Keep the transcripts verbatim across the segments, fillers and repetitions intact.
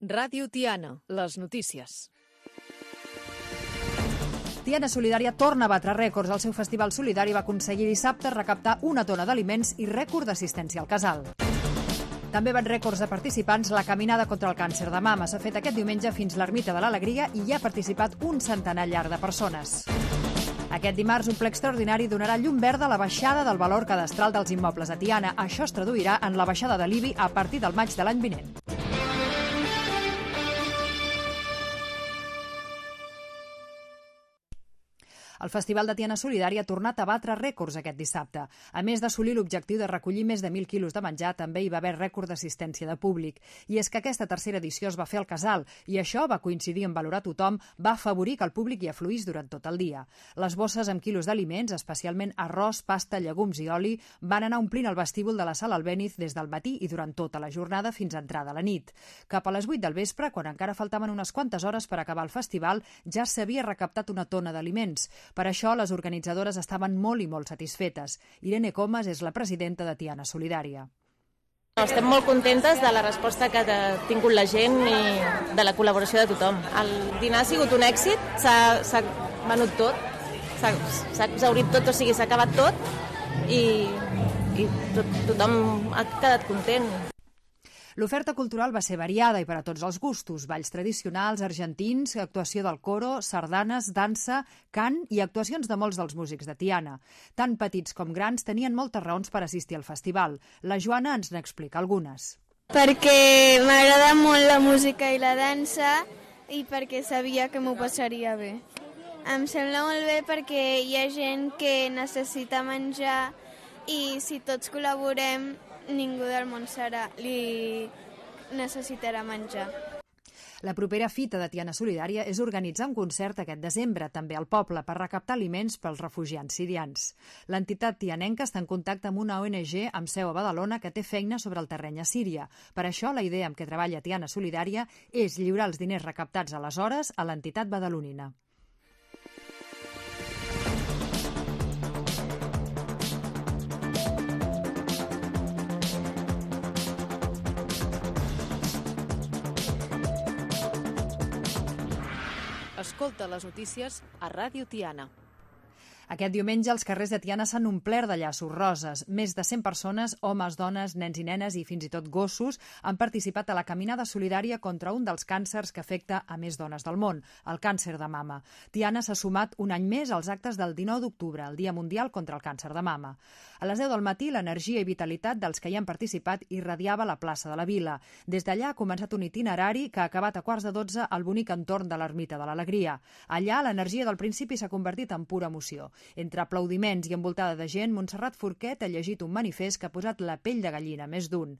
Ràdio Tiana, les notícies. Tiana Solidària torna a batre rècords. El seu festival solidari va aconseguir dissabte recaptar una tona d'aliments i rècord d'assistència al casal. També van rècords de participants la caminada contra el càncer de mama. S'ha fet aquest diumenge fins l'Ermita de l'Alegria i hi ha participat un centenar llarg de persones. Aquest dimarts, un ple extraordinari donarà llum verda a la baixada del valor cadastral dels immobles a Tiana. Això es traduirà en la baixada de l'I B I a partir del maig de l'any vinent. El Festival de Tiana Solidària ha tornat a batre rècords aquest dissabte. A més d'assolir l'objectiu de recollir més de mil quilos de menjar, també hi va haver rècord d'assistència de públic. I és que aquesta tercera edició es va fer al casal i això va coincidir en valorar tothom, va afavorir que el públic hi afluís durant tot el dia. Les bosses amb quilos d'aliments, especialment arròs, pasta, llegums i oli, van anar omplint el vestíbul de la sala Albéniz des del matí i durant tota la jornada fins a entrada la nit. Cap a les vuit del vespre, quan encara faltaven unes quantes hores per acabar el festival, ja s'havia recaptat una tona d'aliments. Per això, les organitzadores estaven molt i molt satisfetes. Irene Comas és la presidenta de Tiana Solidària. Estem molt contentes de la resposta que ha tingut la gent i de la col·laboració de tothom. El dinar ha sigut un èxit, s'ha venut tot, s'ha exhaurit tot, o sigui, s'ha acabat tot i, i tot, tothom ha quedat content. L'oferta cultural va ser variada i per a tots els gustos. Balls tradicionals, argentins, actuació del coro, sardanes, dansa, cant i actuacions de molts dels músics de Tiana. Tant petits com grans tenien moltes raons per assistir al festival. La Joana ens n'explica algunes. Perquè m'agrada molt la música i la dansa i perquè sabia que m'ho passaria bé. Em sembla molt bé perquè hi ha gent que necessita menjar i si tots col·laborem ningú del món serà, li necessitarà menjar. La propera fita de Tiana Solidària és organitzar un concert aquest desembre, també al poble, per recaptar aliments pels refugiats sirians. L'entitat tianenca està en contacte amb una O N G amb seu a Badalona que té feina sobre el terreny a Síria. Per això, la idea amb què treballa Tiana Solidària és lliurar els diners recaptats aleshores a l'entitat badalonina. Escolta les notícies a Ràdio Tiana. Aquest diumenge els carrers de Tiana s'han omplert de llaços roses. Més de cent persones, homes, dones, nens i nenes i fins i tot gossos han participat a la caminada solidària contra un dels càncers que afecta a més dones del món, el càncer de mama. Tiana s'ha sumat un any més als actes del dinou d'octubre, el Dia Mundial contra el Càncer de Mama. A les deu del matí, l'energia i vitalitat dels que hi han participat irradiava la plaça de la Vila. Des d'allà ha començat un itinerari que ha acabat a quarts de dotze al bonic entorn de l'Ermita de l'Alegria. Allà, l'energia del principi s'ha convertit en pura emoció. Entre aplaudiments i envoltada de gent, Montserrat Forquet ha llegit un manifest que ha posat la pell de gallina, més d'un.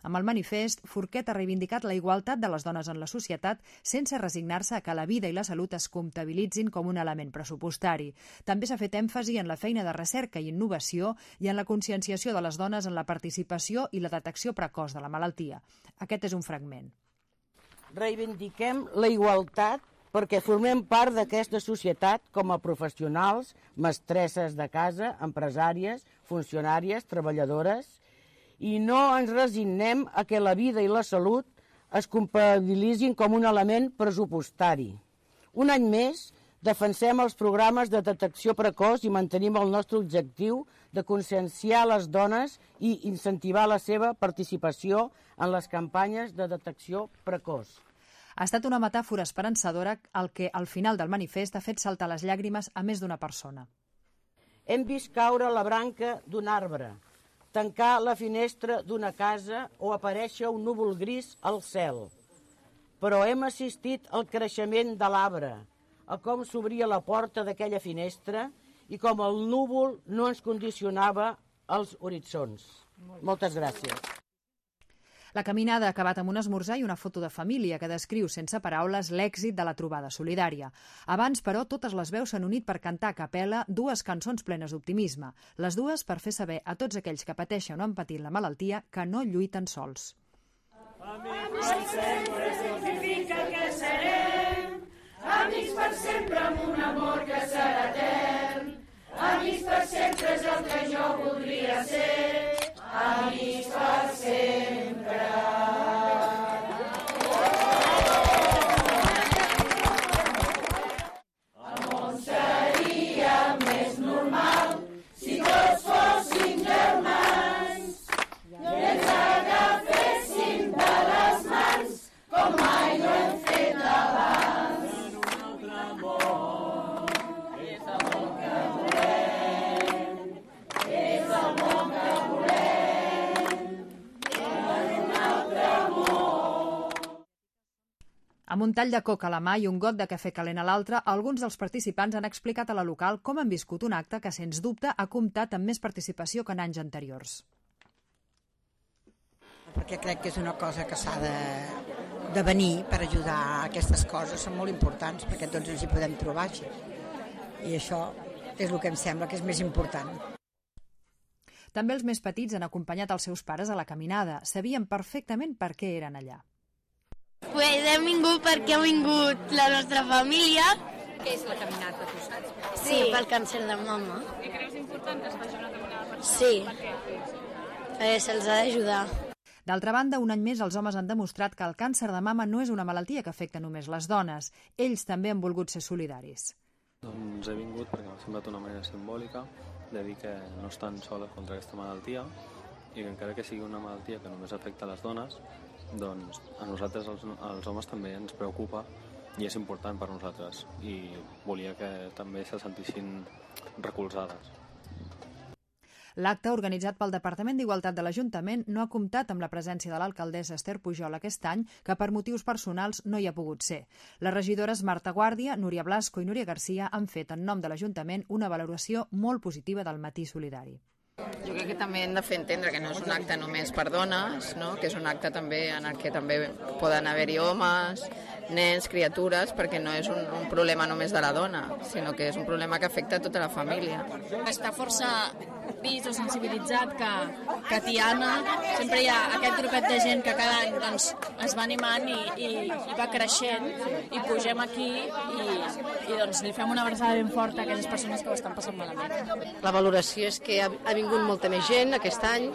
Amb el manifest, Forquet ha reivindicat la igualtat de les dones en la societat sense resignar-se a que la vida i la salut es comptabilitzin com un element pressupostari. També s'ha fet èmfasi en la feina de recerca i innovació i en la conscienciació de les dones en la participació i la detecció precoç de la malaltia. Aquest és un fragment. Reivindiquem la igualtat perquè formem part d'aquesta societat com a professionals, mestresses de casa, empresàries, funcionàries, treballadores, i no ens resignem a que la vida i la salut es comptabilitzin com un element pressupostari. Un any més, defensem els programes de detecció precoç i mantenim el nostre objectiu de conscienciar les dones i incentivar la seva participació en les campanyes de detecció precoç. Ha estat una metàfora esperançadora el que, al final del manifest, ha fet saltar les llàgrimes a més d'una persona. Hem vist caure la branca d'un arbre, tancar la finestra d'una casa o aparèixer un núvol gris al cel. Però hem assistit al creixement de l'arbre, a com s'obria la porta d'aquella finestra i com el núvol no ens condicionava els horitzons. Moltes gràcies. La caminada ha acabat amb un esmorzar i una foto de família que descriu sense paraules l'èxit de la trobada solidària. Abans, però, totes les veus s'han unit per cantar a capella dues cançons plenes d'optimisme. Les dues per fer saber a tots aquells que pateixen o han patit la malaltia que no lluiten sols. Amics per sempre significa que serem, amics per sempre amb un amor que serà etern. Amics per sempre és el que jo voldria ser, amics per sempre. Amb un tall de coca a la mà i un got de cafè calent a l'altre, alguns dels participants han explicat a la local com han viscut un acte que, sens dubte, ha comptat amb més participació que en anys anteriors. Perquè crec que és una cosa que s'ha de, de venir per ajudar a aquestes coses, són molt importants perquè tots ens hi podem trobar així. I això és el que em sembla que és més important. També els més petits han acompanyat els seus pares a la caminada. Sabien perfectament per què eren allà. Pues hem vingut perquè ha vingut la nostra família. Què és la caminata, tu saps? Sí, sí, pel càncer de mama. I creus important que es faci una caminada per sí, perquè se'ls ha d'ajudar. D'altra banda, un any més els homes han demostrat que el càncer de mama no és una malaltia que afecta només les dones. Ells també han volgut ser solidaris. Doncs he vingut perquè m'ha semblat una manera simbòlica de dir que no estan soles contra aquesta malaltia i que encara que sigui una malaltia que només afecta a les dones, doncs a nosaltres, els, els homes, també ens preocupa i és important per nosaltres i volia que també se sentissin recolzades. L'acte, organitzat pel Departament d'Igualtat de l'Ajuntament, no ha comptat amb la presència de l'alcaldessa Esther Pujol aquest any, que per motius personals no hi ha pogut ser. Les regidores Marta Guàrdia, Núria Blasco i Núria Garcia han fet en nom de l'Ajuntament una valoració molt positiva del matí solidari. Jo crec que també hem de fer entendre que no és un acte només per dones, no? Que és un acte també en el que també poden haver-hi homes, nens, criatures, perquè no és un, un problema només de la dona, sinó que és un problema que afecta tota la família. Està força vist o sensibilitzat que, que a Tiana sempre hi ha aquest grupet de gent que cada any doncs, es va animant i, i, i va creixent i pugem aquí i, i doncs, li fem una abraçada ben forta a aquelles persones que ho estan passant malament. La valoració és que ha, ha vingut molta més gent aquest any,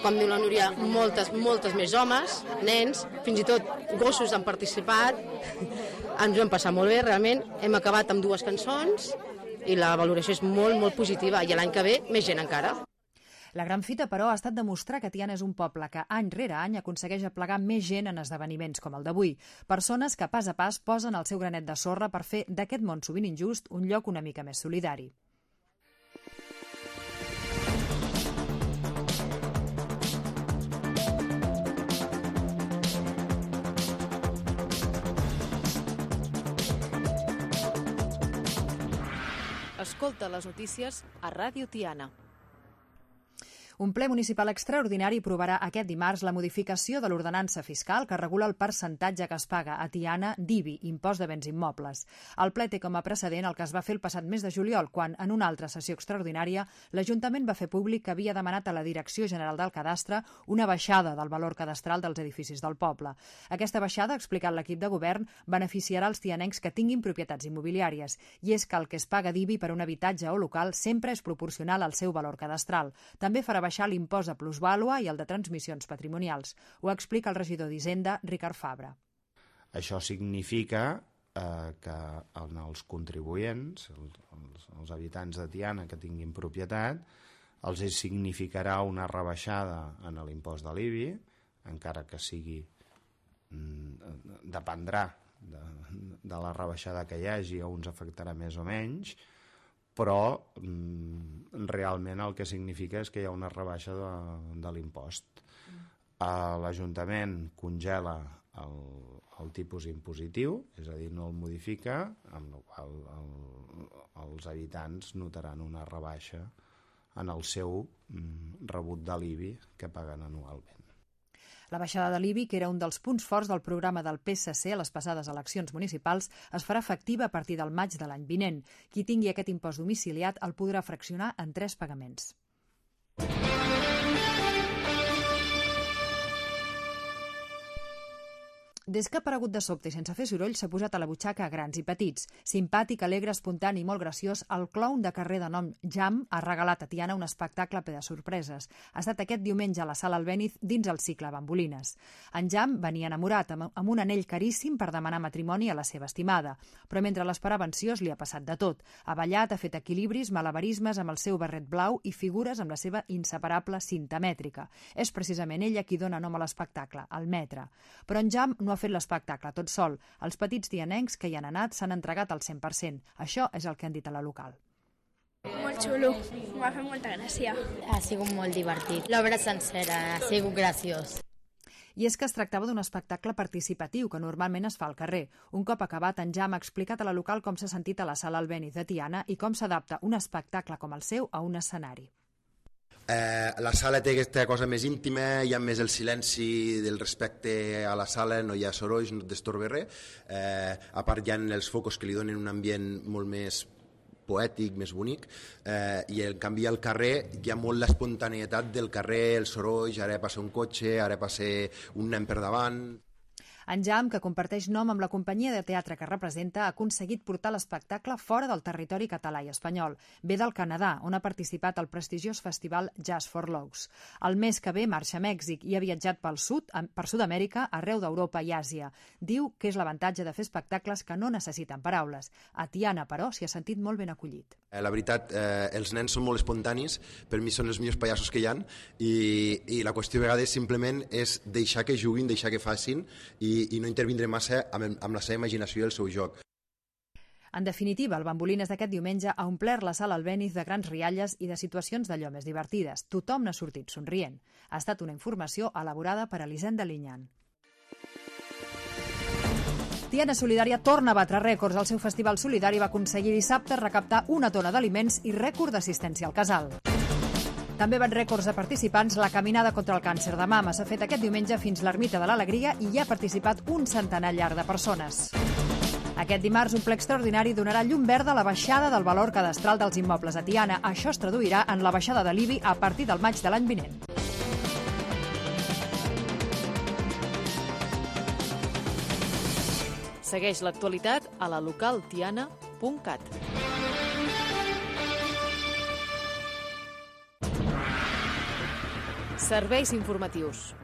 com diu la Núria, moltes, moltes més homes, nens, fins i tot gossos han participat, ens ho hem passat molt bé, realment, hem acabat amb dues cançons i la valoració és molt, molt positiva i l'any que ve més gent encara. La gran fita, però, ha estat demostrar que Tiana és un poble que any rere any aconsegueix aplegar més gent en esdeveniments com el d'avui. Persones que pas a pas posen el seu granet de sorra per fer d'aquest món sovint injust un lloc una mica més solidari. Escolta les notícies a Ràdio Tiana. Un ple municipal extraordinari aprovarà aquest dimarts la modificació de l'ordenança fiscal que regula el percentatge que es paga a Tiana d'I B I, impost de béns immobles. El ple té com a precedent el que es va fer el passat mes de juliol, quan, en una altra sessió extraordinària, l'Ajuntament va fer públic que havia demanat a la Direcció General del Cadastre una baixada del valor cadastral dels edificis del poble. Aquesta baixada, ha explicat l'equip de govern, beneficiarà els tianencs que tinguin propietats immobiliàries, i és que el que es paga d'I B I per un habitatge o local sempre és proporcional al seu valor cadastral. També farà baixar l'impost de plusvàlua i el de transmissions patrimonials. Ho explica el regidor d'Hisenda, Ricard Fabra. Això significa eh, que els contribuents, els, els habitants de Tiana que tinguin propietat, els significarà una rebaixada en l'impost de l'I B I, encara que sigui, dependrà de, de la rebaixada que hi hagi, a uns afectarà més o menys, però mm, realment el que significa és que hi ha una rebaixa de, de l'impost. Mm. L'Ajuntament congela el, el tipus impositiu, és a dir, no el modifica, amb la qual el, els habitants notaran una rebaixa en el seu mm, rebut de l'I B I que paguen anualment. La baixada de l'I B I, que era un dels punts forts del programa del P S C a les passades eleccions municipals, es farà efectiva a partir del maig de l'any vinent. Qui tingui aquest impost domiciliat el podrà fraccionar en tres pagaments. Des que ha aparegut de sobte i sense fer soroll, s'ha posat a la butxaca a grans i petits. Simpàtic, alegre, espontani i molt graciós, el clown de carrer de nom Jam ha regalat a Tiana un espectacle ple de sorpreses. Ha estat aquest diumenge a la Sala Albéniz dins el cicle Bambolines. En Jam venia enamorat amb, amb un anell caríssim per demanar matrimoni a la seva estimada, però mentre l'esperava ansiós li ha passat de tot. Ha ballat, ha fet equilibris, malabarismes amb el seu barret blau i figures amb la seva inseparable cinta mètrica. És precisament ella qui dona nom a l'espectacle, el metre. Però en Jam no ha fet l'espectacle tot sol. Els petits tianencs que hi han anat s'han entregat al cent per cent. Això és el que han dit a la local. Molt xulo, m'ha fet molta gràcia. Ha sigut molt divertit. L'obra sencera ha sigut graciós. I és que es tractava d'un espectacle participatiu que normalment es fa al carrer. Un cop acabat, en Jam ha explicat a la local com s'ha sentit a la sala Albéniz de Tiana i com s'adapta un espectacle com el seu a un escenari. Eh, la sala té aquesta cosa més íntima, hi ha més el silenci del respecte a la sala, no hi ha sorolls, no et destorba res. Eh, a part hi ha els focus que li donen un ambient molt més poètic, més bonic, eh, i en canvi al carrer hi ha molt l'espontaneïtat del carrer, els sorolls, ara passa un cotxe, ara passa un nen per davant. En Jam, que comparteix nom amb la companyia de teatre que representa, ha aconseguit portar l'espectacle fora del territori català i espanyol. Ve del Canadà, on ha participat al prestigiós festival Jazz for Logs. El mes que ve marxa a Mèxic i ha viatjat pel sud, per Sud-amèrica, arreu d'Europa i Àsia. Diu que és l'avantatge de fer espectacles que no necessiten paraules. A Tiana, però, s'hi ha sentit molt ben acollit. La veritat, eh, els nens són molt espontanis, per mi són els millors pallassos que hi ha, i, i la qüestió a vegades simplement és deixar que juguin, deixar que facin, i i no intervindre massa amb, amb la seva imaginació i el seu joc. En definitiva, el Bambolines d'aquest diumenge ha omplert la sala Albéniz de grans rialles i de situacions d'allò més divertides. Tothom n'ha sortit somrient. Ha estat una informació elaborada per Elisenda Linyan. Tiana Solidària torna a batre rècords. El seu festival solidari va aconseguir dissabte recaptar una tona d'aliments i rècord d'assistència al casal. També van rècords de participants. La caminada contra el càncer de mama s'ha fet aquest diumenge fins l'Ermita de l'Alegria i hi ha participat un centenar llarg de persones. Aquest dimarts, un ple extraordinari donarà llum verda a la baixada del valor cadastral dels immobles a Tiana. Això es traduirà en la baixada de l'I B I a partir del maig de l'any vinent. Segueix l'actualitat a la local tiana punt cat. Serveis informatius.